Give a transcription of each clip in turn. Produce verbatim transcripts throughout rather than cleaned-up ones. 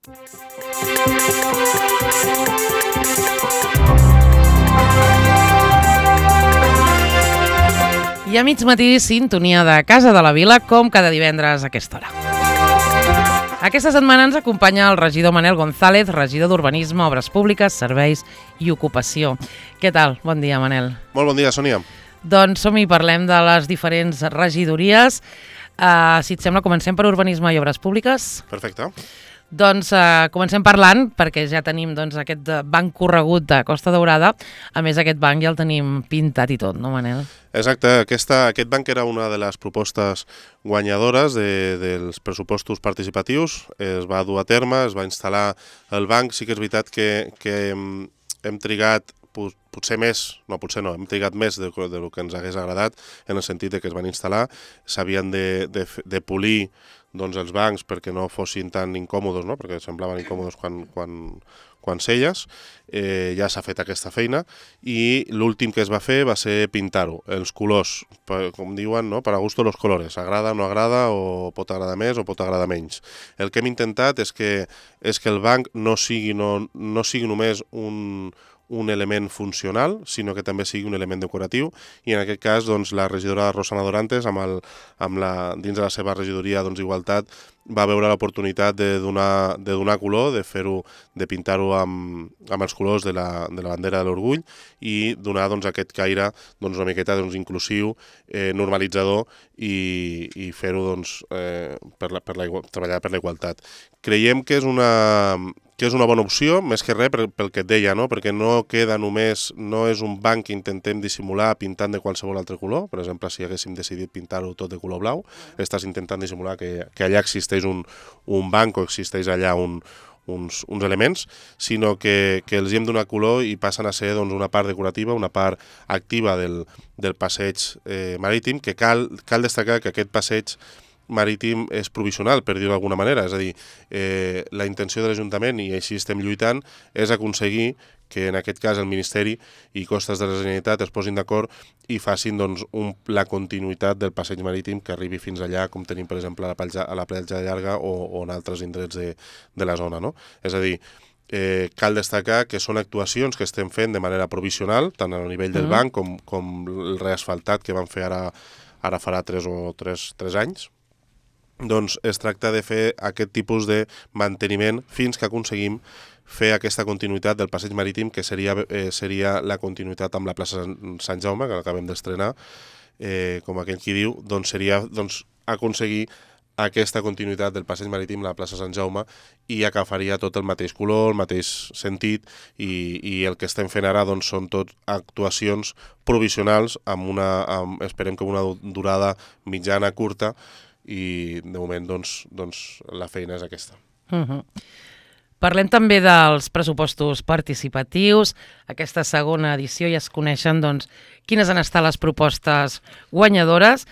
I a mig matí, sintonia de Casa de la Vila, com cada divendres a aquesta hora. Aquesta setmana ens acompanya el regidor Manel González, regidor d'Urbanisme, Obres Públiques, Serveis i Ocupació. Què tal? Bon dia, Manel. Molt bon dia, Sònia. Doncs som-hi, parlem de les diferents regidories. Uh, si et sembla, comencem per Urbanisme i Obres Públiques. Perfecte. Doncs uh, comencem parlant, perquè ja tenim doncs, aquest banc corregut de Costa Daurada. A més, aquest banc ja el tenim pintat i tot, no, Manel? Exacte, Aquesta, aquest banc era una de les propostes guanyadores de, dels pressupostos participatius. Es va dur a terme, es va instal·lar el banc. Sí que és veritat que, que hem, hem trigat potser més, no, potser no, hem trigat més de, de lo que ens hagués agradat, en el sentit de que es van instal·lar, s'havien de, de, de polir doncs, els bancs perquè no fossin tan incòmodes, no? Perquè semblaven incòmodes quan, quan, quan seies. Eh, ja s'ha fet aquesta feina i l'últim que es va fer va ser pintar-ho, els colors, per, com diuen, no? Per a gusto los colores, agrada o no agrada, o pot agradar més o pot agradar menys. El que hem intentat és que, és que el banc no sigui, no, no sigui només un... un element funcional, sinó que també sigui un element decoratiu, i en aquest cas doncs, la regidora Rosana Dorantes, amb el, amb la, dins de la seva regidoria doncs, Igualtat, va veure l'oportunitat de donar, de donar color, de fer-ho, de pintar-ho amb, amb els colors de la, de la bandera de l'orgull i donar doncs, aquest caire doncs, una miqueta doncs, inclusiu, eh, normalitzador i, i fer-ho doncs, eh, per la, per la, treballar per la igualtat. Creiem que és una... que és una bona opció, més que res pel que et deia, no? Perquè no queda només, no és un banc que intentem dissimular pintant de qualsevol altre color. Per exemple, si haguéssim decidit pintar-ho tot de color blau, estàs intentant dissimular que, que allà existeix un, un banc o existeix allà un, uns, uns elements, sinó que, que els hi hem donat color i passen a ser doncs, una part decorativa, una part activa del, del passeig eh, marítim, que cal, cal destacar que aquest passeig marítim és provisional, per dir-ho d'alguna manera. És a dir, eh, la intenció de l'Ajuntament, i així estem lluitant, és aconseguir que en aquest cas el Ministeri i Costes de la Generalitat es posin d'acord i facin doncs, un, la continuïtat del passeig marítim que arribi fins allà, com tenim per exemple a la platja, a la platja Llarga o, o en altres indrets de, de la zona. No? És a dir, eh, cal destacar que són actuacions que estem fent de manera provisional, tant a nivell del mm. banc com, com el reasfaltat que vam fer ara, ara farà tres o tres, tres anys. Doncs es tracta de fer aquest tipus de manteniment fins que aconseguim fer aquesta continuïtat del passeig marítim, que seria, eh, seria la continuïtat amb la plaça Sant Jaume, que l'acabem d'estrenar, eh, com aquell qui diu, doncs seria doncs, aconseguir aquesta continuïtat del passeig marítim a la plaça Sant Jaume i agafaria tot el mateix color, el mateix sentit, i, i el que estem fent ara doncs, són tot actuacions provisionals, amb una, amb, esperem que una durada mitjana, curta, i de moment doncs, doncs, la feina és aquesta. Uh-huh. Parlem també dels pressupostos participatius. Aquesta segona edició ja es coneixen doncs, quines han estat les propostes guanyadores,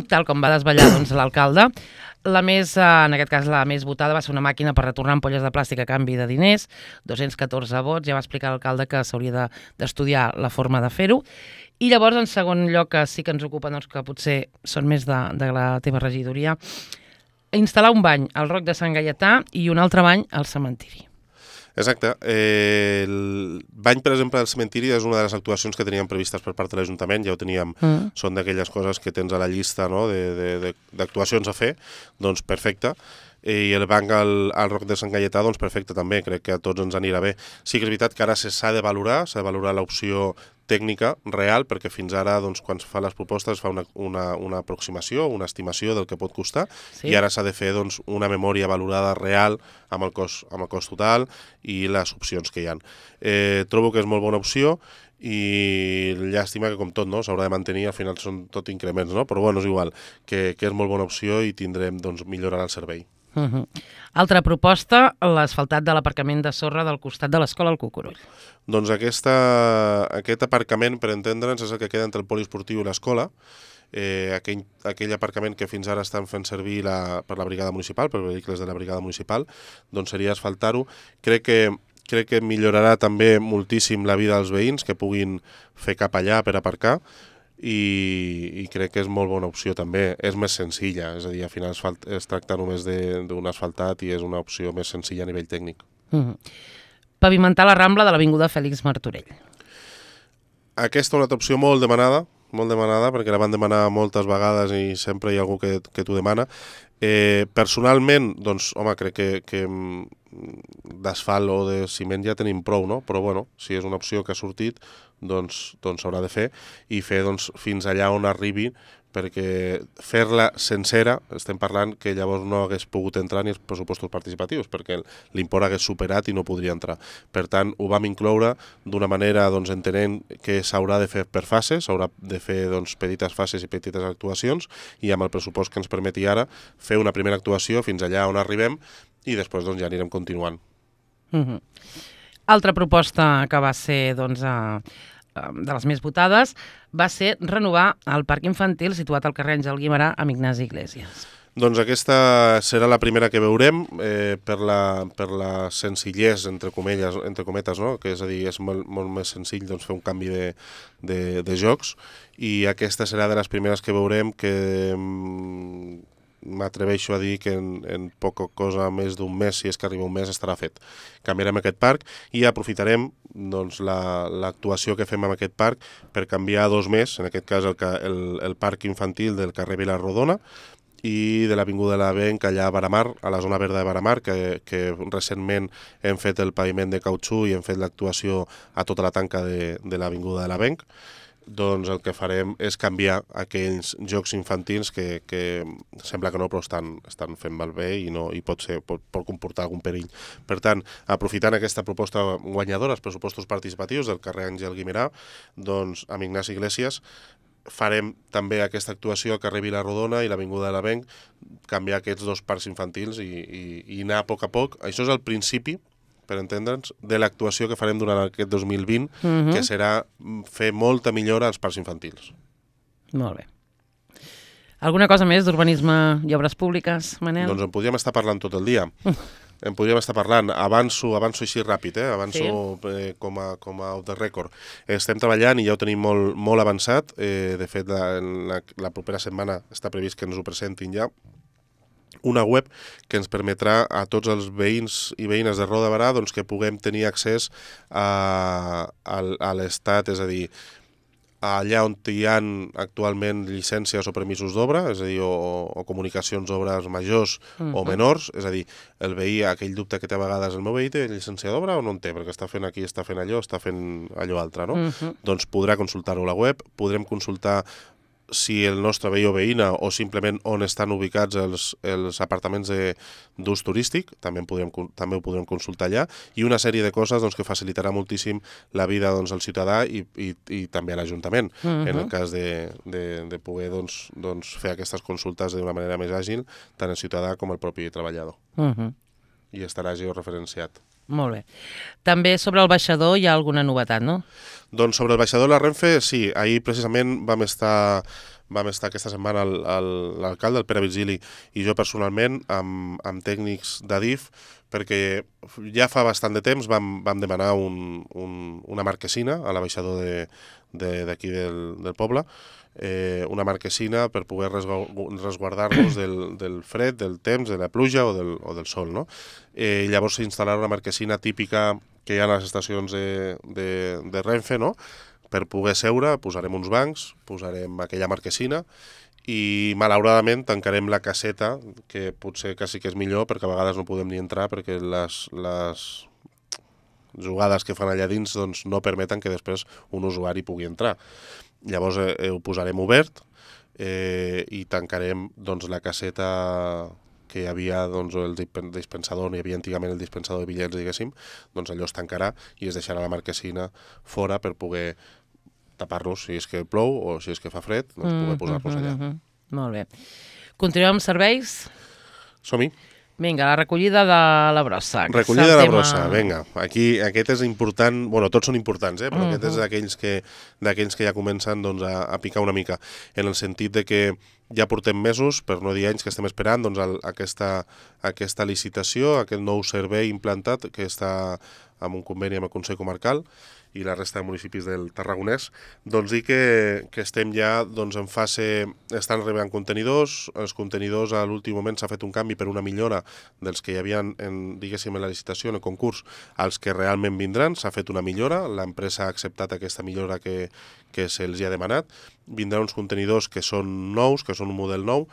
tal com va desvetllar doncs, l'alcalde. La més, en aquest cas, la més votada va ser una màquina per retornar ampolles de plàstic a canvi de diners, dos-cents catorze vots, ja va explicar l'alcalde que s'hauria d'estudiar la forma de fer-ho. I llavors, en segon lloc, que sí que ens ocupa, doncs, que potser són més de, de la teva regidoria, instal·lar un bany al Roc de Sant Gaietà i un altre bany al cementiri. Exacte. Eh, el bany, per exemple, del cementiri és una de les actuacions que teníem previstes per part de l'Ajuntament, ja ho teníem, mm. són d'aquelles coses que tens a la llista, no?, d'actuacions a fer, doncs perfecte. I el banc al, al Roc de Sant Gaietà, doncs perfecte també, crec que a tots ens anirà bé. Sí que és veritat que ara s'ha de valorar, s'ha de valorar l'opció tècnica real, perquè fins ara, doncs, quan es fa les propostes, es fa una, una, una aproximació, una estimació del que pot costar, sí. I ara s'ha de fer doncs, una memòria valorada real amb el cost, amb el cost total i les opcions que hi ha. Eh, trobo que és molt bona opció, i llàstima que, com tot, no, s'haurà de mantenir, al final són tot increments, no? Però bueno, és igual, que, que és molt bona opció i tindrem, doncs, millorar el servei. Uh-huh. Altra proposta, l'asfaltat de l'aparcament de sorra del costat de l'escola al Cucurull. Doncs aquesta, aquest aparcament, per entendre'ns, és el que queda entre el poliesportiu i l'escola. Eh, aquell, aquell aparcament que fins ara estan fent servir la, per la brigada municipal, per vehicles de la brigada municipal, doncs seria asfaltar-ho. Crec que, crec que millorarà també moltíssim la vida dels veïns que puguin fer cap allà per aparcar. i, i crec que és molt bona opció també. És més senzilla, és a dir, al final es, falt, es tracta només d'un asfaltat i és una opció més senzilla a nivell tècnic. Mm-hmm. Pavimentar la Rambla de l'Avinguda Fèlix Martorell. Aquesta és una altra opció molt demanada, molt demanada, perquè la van demanar moltes vegades i sempre hi ha algú que, que t'ho demana. Eh, personalment, doncs, home, crec que, que d'asfalt o de ciment ja tenim prou, no? Però, bueno, si és una opció que ha sortit, doncs doncs s'haurà de fer i fer doncs, fins allà on arribi, perquè fer-la sencera, estem parlant que llavors no hagués pogut entrar ni els pressupostos participatius, perquè l'import hagués superat i no podria entrar. Per tant, ho vam incloure d'una manera doncs, entenent que s'haurà de fer per fases, s'haurà de fer doncs, petites fases i petites actuacions, i amb el pressupost que ens permeti ara fer una primera actuació fins allà on arribem i després doncs, ja anirem continuant. Mm-hmm. Altra proposta que va ser doncs, a... de les més votades, va ser renovar el parc infantil situat al carrer Àngel Guimerà amb Ignasi Iglesias. Doncs aquesta serà la primera que veurem eh, per, la, per la senzillesa, entre comelles, entre cometes, no? Que és a dir, és molt, molt més senzill doncs, fer un canvi de, de, de jocs, i aquesta serà de les primeres que veurem que m'atreveixo a dir que en, en poca cosa més d'un mes, si és que arriba un mes, estarà fet. Canviarem aquest parc i aprofitarem doncs, l'actuació la, que fem amb aquest parc per canviar dos més, en aquest cas el, el, el parc infantil del carrer Vilarrodona i de l'Avinguda de l'Avenc allà a Baramar, a la zona verda de Baramar, que, que recentment hem fet el paviment de cautxú i hem fet l'actuació a tota la tanca de, de l'Avinguda de l'Avenc. Doncs el que farem és canviar aquells jocs infantils que, que sembla que no, però estan, estan fent malbé i, no, i pot, ser, pot, pot comportar algun perill. Per tant, aprofitant aquesta proposta guanyadora, els pressupostos participatius del carrer Àngel Guimerà, doncs amb Ignasi Iglesias, farem també aquesta actuació al carrer Vilarrodona i l'Avinguda de l'Avenc, canviar aquests dos parcs infantils i, i, i anar a poc a poc. Això és el principi, per entendre'ns, de l'actuació que farem durant aquest dos mil vint, uh-huh. que serà fer molta millora als parcs infantils. Molt bé. Alguna cosa més d'urbanisme i obres públiques, Manel? Doncs en podríem estar parlant tot el dia. En podríem estar parlant. Avanço, avanço així ràpid, eh? Avanço sí. eh, com, a, com a off the record. Estem treballant i ja ho tenim molt, molt avançat. Eh, de fet, la, la, la propera setmana està previst que ens ho presentin ja. Una web que ens permetrà a tots els veïns i veïnes de Roda de Barà doncs, que puguem tenir accés a, a, a l'Estat, és a dir, allà on hi ha actualment llicències o permisos d'obra, és a dir, o, o comunicacions d'obres majors uh-huh. o menors, és a dir, el veí, aquell dubte que té a vegades el meu veí, té llicència d'obra o no en té, perquè està fent aquí, està fent allò, està fent allò altre, no? Uh-huh. Doncs podrà consultar-ho a la web, podrem consultar si el nostre veí o veïna o simplement on estan ubicats els, els apartaments d'ús turístic, també, podrem, també ho podrem consultar allà, i una sèrie de coses doncs, que facilitarà moltíssim la vida doncs, al ciutadà i, i, i també a l'Ajuntament, uh-huh. en el cas de, de, de poder doncs, doncs, fer aquestes consultes d'una manera més àgil, tant el ciutadà com el propi treballador. Uh-huh. I estarà georreferenciat. Molt bé. També sobre el baixador hi ha alguna novetat, no? Doncs sobre el baixador de la Renfe, sí. Ahir precisament vam estar, vam estar aquesta setmana l'alcalde, el Pere Virgili, i jo personalment amb, amb tècnics d'Adif, perquè ja fa bastant de temps vam, vam demanar un, un, una marquesina a la baixador d'aquí de, de, del, del poble, eh, una marquesina per poder resguardar-nos del, del fred, del temps, de la pluja o del, o del sol, no? Eh, llavors s'instal·larà una marquesina típica que hi ha a les estacions de, de, de Renfe, no? Per poder seure, posarem uns bancs, posarem aquella marquesina i malauradament tancarem la caseta, que potser que sí que és millor perquè a vegades no podem ni entrar perquè les, les jugades que fan allà dins doncs, no permeten que després un usuari pugui entrar. Llavors eh, ho posarem obert eh, i tancarem doncs, la caseta que hi havia, doncs, el dispensador, on hi havia antigament el dispensador de bitllets, diguéssim, doncs allò es tancarà i es deixarà la marquesina fora per poder tapar-nos si és que plou o si és que fa fred, doncs poder posar-nos allà. Mm-hmm. Molt bé. Continuem amb serveis? Som-hi. Vinga, la recollida de la brossa. Recollida de la brossa, vinga. Aquí, aquest és important, bueno, tots són importants, eh? Però uh-huh. aquest és d'aquells que, d'aquells que ja comencen doncs, a, a picar una mica, en el sentit de que ja portem mesos, per no dir anys, que estem esperant doncs, el, aquesta, aquesta licitació, aquest nou servei implantat que està amb un conveni amb el Consell Comarcal i la resta de municipis del Tarragonès, doncs dir que, que estem ja doncs, en fase, estan arribant contenidors, els contenidors a l'últim moment s'ha fet un canvi per una millora dels que hi havia en, diguéssim, en la licitació, en el concurs, als que realment vindran, s'ha fet una millora, l'empresa ha acceptat aquesta millora que, que se'ls ha demanat, vindran uns contenidors que són nous, que són un model nou,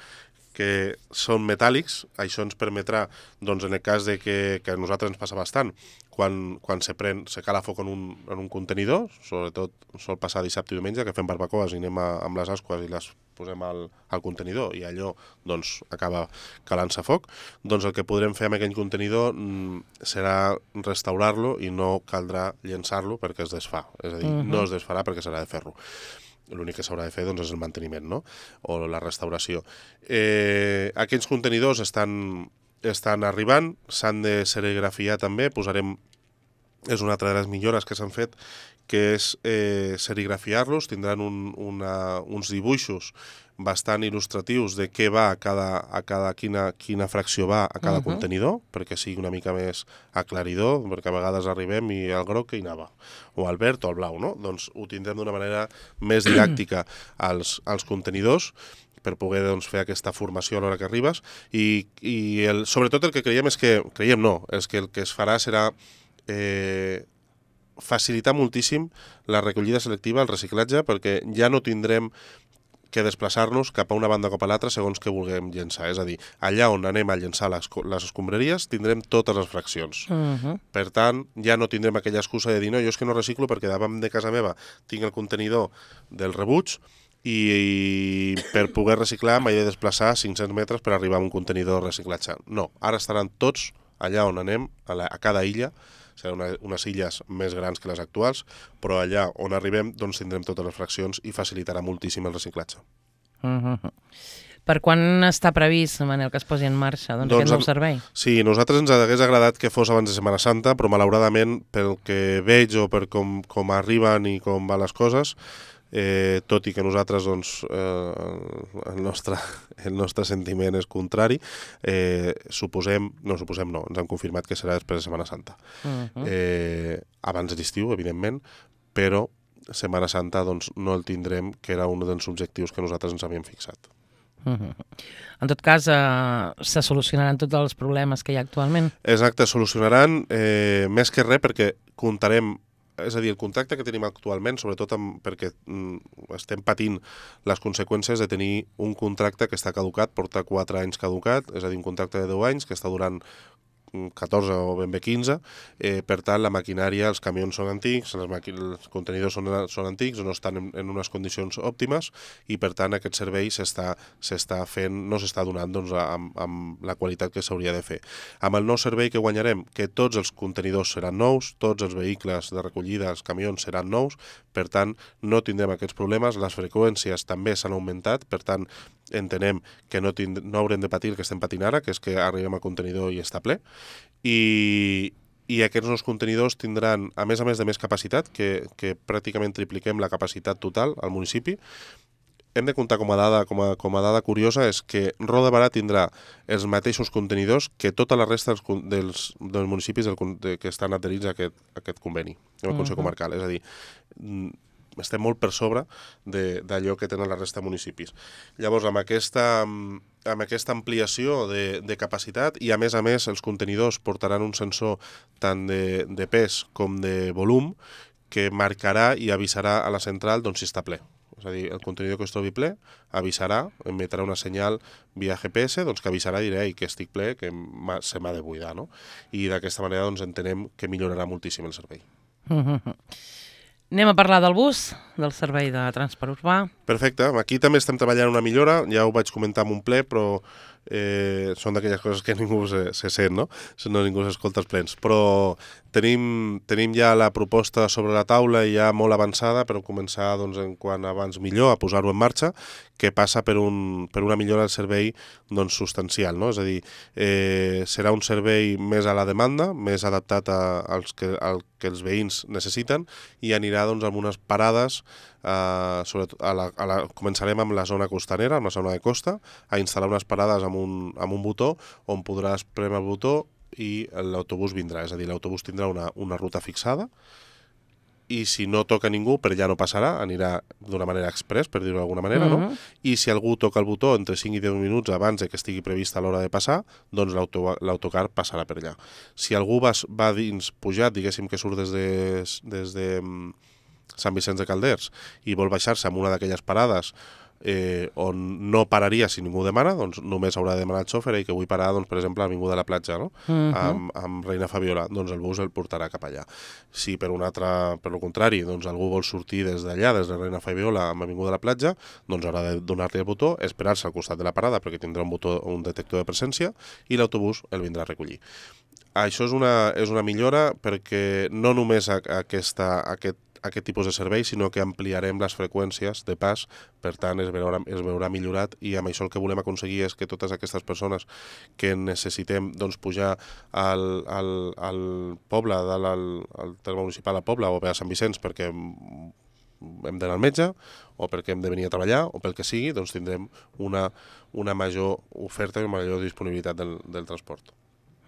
que són metàl·lics, això ens permetrà, doncs en el cas de que, que a nosaltres ens passa bastant, quan, quan se, pren, se cala foc en un, en un contenidor, sobretot sol passar dissabte i diumenge, que fem barbacoes i anem a, amb les asques i les posem al, al contenidor i allò doncs, acaba calant-se foc, doncs el que podrem fer amb aquell contenidor mm, serà restaurar-lo i no caldrà llençar-lo perquè es desfà, és a dir, uh-huh. no es desfarà perquè serà de ferro. L'únic que s'haurà de fer doncs, és el manteniment, no? O la restauració. Eh, aquests contenidors estan, estan arribant, s'han de serigrafiar també, posarem, és una altra de les millores que s'han fet, que és eh, serigrafiar-los, tindran un, una, uns dibuixos bastant il·lustratius de què va a cada, a cada quina, quina fracció va a cada uh-huh. contenidor, perquè sigui una mica més aclaridor, perquè a vegades arribem i el groc que hi anava, o el verd o el blau, no? Doncs ho tindrem d'una manera més didàctica als, als contenidors, per poder doncs, fer aquesta formació a l'hora que arribes, i, i el, sobretot el que creiem és que, creiem no, és que el que es farà serà eh, facilitar moltíssim la recollida selectiva, el reciclatge, perquè ja no tindrem que desplaçar-nos cap a una banda o cap a l'altra segons que vulguem llençar. És a dir, allà on anem a llençar les, les escombraries tindrem totes les fraccions. Uh-huh. Per tant, ja no tindrem aquella excusa de dir no, jo és que no reciclo perquè davant de casa meva tinc el contenidor del rebuig i, i per poder reciclar m'he de desplaçar cinc-cents metres per arribar a un contenidor de reciclatge. No, ara estaran tots allà on anem, a, la, a cada illa, seran una, unes illes més grans que les actuals, però allà on arribem doncs tindrem totes les fraccions i facilitarà moltíssim el reciclatge. Uh-huh. Per quan està previst, Manel, que es posi en marxa doncs, doncs, aquest nou servei? Sí, a nosaltres ens hagués agradat que fos abans de Setmana Santa, però malauradament, pel que veig o per com, com arriben i com van les coses, Eh, tot i que nosaltres doncs, eh, el, nostre, el nostre sentiment és contrari, eh, suposem, no suposem no, ens han confirmat que serà després de Setmana Santa. Uh-huh. eh, abans de l'estiu, evidentment, però Setmana Santa doncs, no el tindrem, que era un dels objectius que nosaltres ens havíem fixat. Uh-huh. En tot cas, eh, se solucionaran tots els problemes que hi ha actualment? Exacte, solucionaran eh, més que res perquè comptarem. És a dir, el contracte que tenim actualment, sobretot amb, perquè mm, estem patint les conseqüències de tenir un contracte que està caducat, porta quatre anys caducat, és a dir, un contracte de deu anys que està durant catorze o ben bé quinze, eh, per tant la maquinària, els camions són antics, les els contenidors són, són antics, no estan en, en unes condicions òptimes i per tant aquest servei s'està s'està fent, no s'està donant doncs, amb, amb la qualitat que s'hauria de fer. Amb el nou servei que guanyarem, que tots els contenidors seran nous, tots els vehicles de recollida, els camions seran nous, per tant no tindrem aquests problemes, les freqüències també s'han augmentat, per tant entenem que no, tind no haurem de patir el que estem patint ara, que és que arribem al contenidor i està ple, i, i aquests nous contenidors tindran, a més a més de més capacitat, que, que pràcticament tripliquem la capacitat total al municipi. Hem de comptar com a dada, com a, com a dada curiosa és que Roda de Barà tindrà els mateixos contenidors que tota la resta dels, dels, dels municipis del, de, que estan adherits a aquest, a aquest conveni, el Consell uh-huh. Comarcal. És a dir, estem molt per sobre d'allò que tenen la resta de municipis. Llavors, amb aquesta, amb aquesta ampliació de, de capacitat i, a més a més, els contenidors portaran un sensor tant de, de pes com de volum que marcarà i avisarà a la central doncs, si està ple. És a dir, el contenidor que es trobi ple avisarà, emetrà una senyal via G P S doncs, que avisarà i dirà que estic ple, que se m'ha de buidar. No? I d'aquesta manera doncs, entenem que millorarà moltíssim el servei. Uh-huh. Anem a parlar del bus, del servei de transport urbà. Perfecte. Aquí també estem treballant una millora, ja ho vaig comentar en un ple, però eh, són d'aquelles coses que ningú se, se sent, no? No ningú s'escolta els plens. Però tenim, tenim ja la proposta sobre la taula i ja molt avançada per començar, doncs, en quant abans millor, a posar-ho en marxa, que passa per, un, per una millora del servei doncs, substancial, no? És a dir, eh, serà un servei més a la demanda, més adaptat a, als que, al que els veïns necessiten i anirà doncs, amb unes parades, eh, sobretot a la, a la, començarem amb la zona costanera, amb la zona de costa, a instal·lar unes parades amb un, amb un botó on podràs premer el botó i l'autobús vindrà. És a dir, l'autobús tindrà una, una ruta fixada i si no toca ningú, per allà no passarà, anirà d'una manera express, per dir-ho d'alguna manera, Mhm. no? I si algú toca el botó entre cinc i deu minuts abans de que estigui prevista l'hora de passar, doncs l'auto- l'autocar passarà per allà. Si algú va, va dins pujat, diguéssim que surt des de, des de mm, Sant Vicenç de Calders i vol baixar-se en una d'aquelles parades eh, on no pararia si ningú demana, doncs només haurà de demanar al xòfer i que vull parar, doncs, per exemple, a l'Avinguda de la Platja, no? Mhm. amb, amb Reina Fabiola, doncs el bus el portarà cap allà. Si per un altre, per lo contrari, doncs algú vol sortir des d'allà, des de Reina Fabiola amb Avinguda de la Platja, doncs haurà de donar-li el botó, esperar-se al costat de la parada perquè tindrà un botó, un detector de presència i l'autobús el vindrà a recollir. Això és una, és una millora perquè no només a, a aquesta, a aquest aquest tipus de servei, sinó que ampliarem les freqüències de pas, per tant es veurà, es veurà millorat i amb això el que volem aconseguir és que totes aquestes persones que necessitem doncs, pujar al, al, al poble, al, al terme municipal al poble o bé a Sant Vicenç perquè hem d'anar al metge o perquè hem de venir a treballar o pel que sigui, doncs tindrem una, una major oferta i una major disponibilitat del, del transport.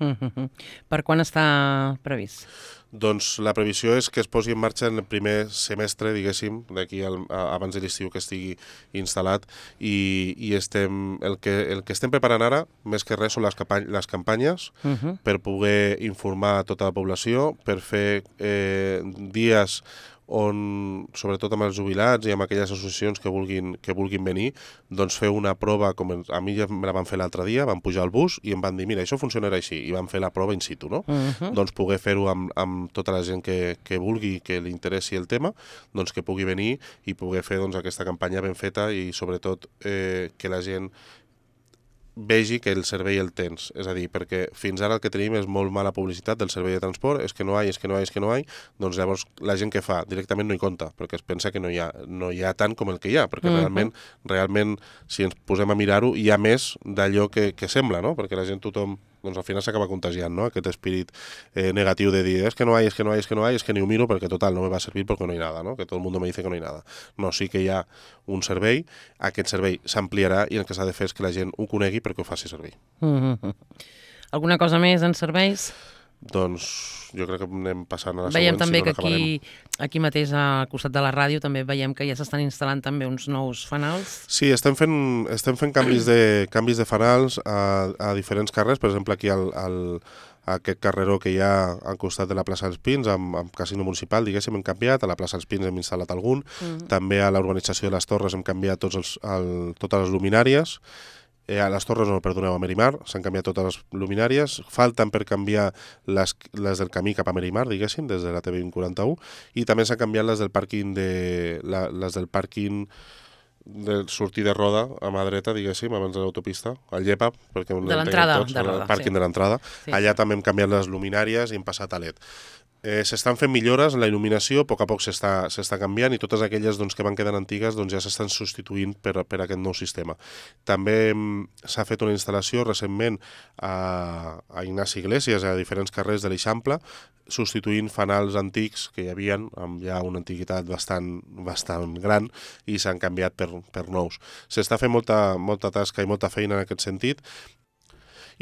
Mhm. Per quan està previst? Doncs la previsió és que es posi en marxa en el primer semestre, diguéssim, d'aquí abans de l'estiu que estigui instal·lat i, i estem, el, que, el que estem preparant ara, més que res, són les, campany les campanyes Mhm. per poder informar a tota la població, per fer eh, dies on, sobretot amb els jubilats i amb aquelles associacions que vulguin, que vulguin venir, doncs fer una prova, com a mi ja me la van fer l'altre dia, van pujar al bus i em van dir, mira, això funcionarà així, i van fer la prova in situ, no? Mhm. Doncs poder fer-ho amb, amb tota la gent que, que vulgui, que li interessi el tema, doncs que pugui venir i poder fer doncs, aquesta campanya ben feta i sobretot eh, que la gent vegi que el servei el tens, és a dir, perquè fins ara el que tenim és molt mala publicitat del servei de transport, és que no hi ha, és que no hi ha, és que no hi ha, doncs llavors la gent que fa directament no hi compta, perquè es pensa que no hi ha, no hi ha tant com el que hi ha, perquè Mhm. realment, realment, si ens posem a mirar-ho, hi ha més d'allò que, que sembla, no? Perquè la gent, tothom, doncs al final s'acaba contagiant, no? Aquest espírit eh, negatiu de dir, és que no hi ha, és que no hi ha, és que no hi ha, és que ni ho miro perquè total no me va servir perquè no hi ha nada, no? Que tot el mundo me dice que no hi ha nada. No, sí que hi ha un servei, aquest servei s'ampliarà i el que s'ha de fer és que la gent ho conegui perquè ho faci servir. Mhm. Alguna cosa més en serveis? Doncs jo crec que anem passant a la Veiem següent, també si no que n'acabarem. aquí, aquí mateix al costat de la ràdio també veiem que ja s'estan instal·lant també uns nous fanals. Sí, estem fent, estem fent canvis, de, canvis de fanals a, a diferents carrers, per exemple aquí al, al, a aquest carreró que hi ha al costat de la plaça dels Pins, amb, amb Casino Municipal, diguéssim, hem canviat, a la plaça dels Pins hem instal·lat algun, Mhm. també a la urbanització de les Torres hem canviat tots els, el, totes les luminàries, Eh, a les Torres, no, perdoneu, a Merimar, s'han canviat totes les luminàries, falten per canviar les, les del camí cap a Merimar, diguéssim, des de la T V quaranta-u, i també s'han canviat les del pàrquing de, la, les del pàrquing de sortir de Roda a mà dreta, diguéssim, abans de l'autopista, al Llepa, perquè De l'entrada tots, de el Roda, pàrquing sí. de l'entrada. Sí, Allà sí. també hem canviat les luminàries i hem passat a L E D. Eh, s'estan fent millores en la il·luminació, a poc a poc s'està s'està canviant i totes aquelles doncs, que van quedant antigues doncs, ja s'estan substituint per, per aquest nou sistema. També mm, s'ha fet una instal·lació recentment a, a Ignasi Iglesias, a diferents carrers de l'Eixample, substituint fanals antics que hi havia amb ja una antiguitat bastant, bastant gran i s'han canviat per, per nous. S'està fent molta, molta tasca i molta feina en aquest sentit.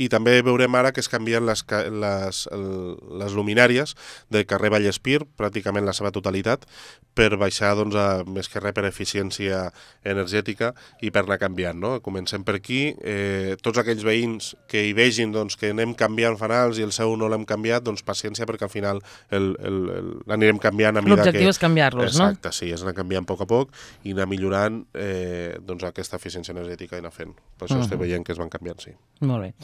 I també veurem ara que es canvien les, les, les luminàries del carrer Vallespir, pràcticament la seva totalitat, per baixar, doncs, a, més que res per eficiència energètica i per anar canviant, no? Comencem per aquí, eh, tots aquells veïns que hi vegin doncs, que anem canviant fanals i el seu no l'hem canviat, doncs paciència perquè al final l'anirem canviant a mida que... L'objectiu és canviar-los, no? Exacte, sí, és anar canviant a poc a poc i anar millorant eh, doncs, aquesta eficiència energètica i anar fent. Per això uh -huh. estem veient que es van canviant, sí. Molt bé.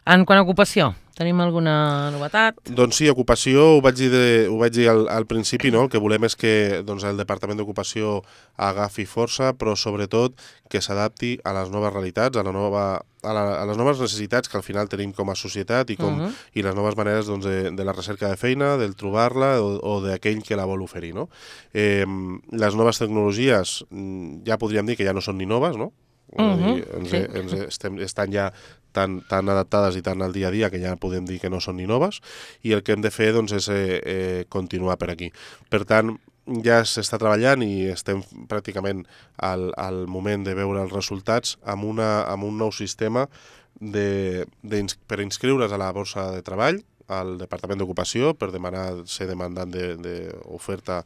En quant a ocupació, tenim alguna novetat? Doncs sí, ocupació, ho vaig dir, de, ho vaig dir al, al principi, no? El que volem és que doncs, el Departament d'Ocupació agafi força, però sobretot que s'adapti a les noves realitats, a, la nova, a, la, a les noves necessitats que al final tenim com a societat i, com, uh -huh. i les noves maneres doncs, de, de la recerca de feina, del trobar-la o, o d'aquell que la vol oferir. No? Eh, les noves tecnologies ja podríem dir que ja no són ni noves, no? Uh -huh, dir, ens, sí. ens estem, estan ja tan, tan adaptades i tan al dia a dia que ja podem dir que no són ni noves i el que hem de fer doncs, és eh, eh, continuar per aquí. Per tant, ja s'està treballant i estem pràcticament al, al moment de veure els resultats amb, una, amb un nou sistema de, de, per inscriure's a la borsa de treball al Departament d'Ocupació per demanar ser demandant d'oferta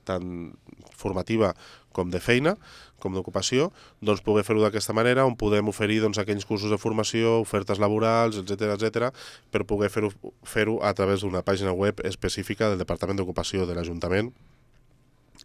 tant formativa com de feina, com d'ocupació, doncs poder fer-ho d'aquesta manera, on podem oferir doncs, aquells cursos de formació, ofertes laborals, etcètera, etcètera, per poder fer-ho fer-ho a través d'una pàgina web específica del Departament d'Ocupació de l'Ajuntament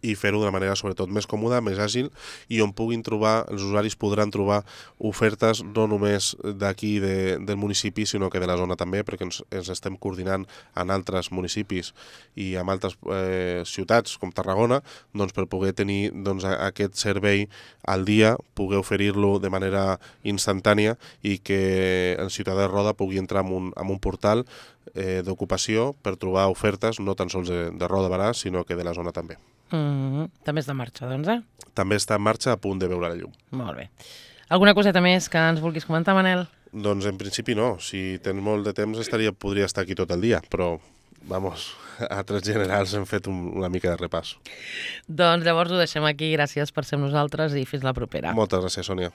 i fer-ho d'una manera sobretot més còmoda, més àgil i on puguin trobar, els usuaris podran trobar ofertes no només d'aquí de, del municipi sinó que de la zona també, perquè ens, ens estem coordinant en altres municipis i en altres eh, ciutats com Tarragona, doncs per poder tenir doncs, aquest servei al dia, poder oferir-lo de manera instantània i que el ciutadà de Roda pugui entrar en un, en un portal eh, d'ocupació per trobar ofertes no tan sols de, de Roda Barà, sinó que de la zona també. Mm-hmm. També està en marxa, doncs, eh? També està en marxa, a punt de veure la llum. Molt bé. Alguna coseta més que ens vulguis comentar, Manel? Doncs en principi no. Si tens molt de temps estaria, podria estar aquí tot el dia, però, vamos, a trets generals hem fet un, una mica de repàs. Doncs llavors ho deixem aquí. Gràcies per ser amb nosaltres i fins la propera. Moltes gràcies, Sònia.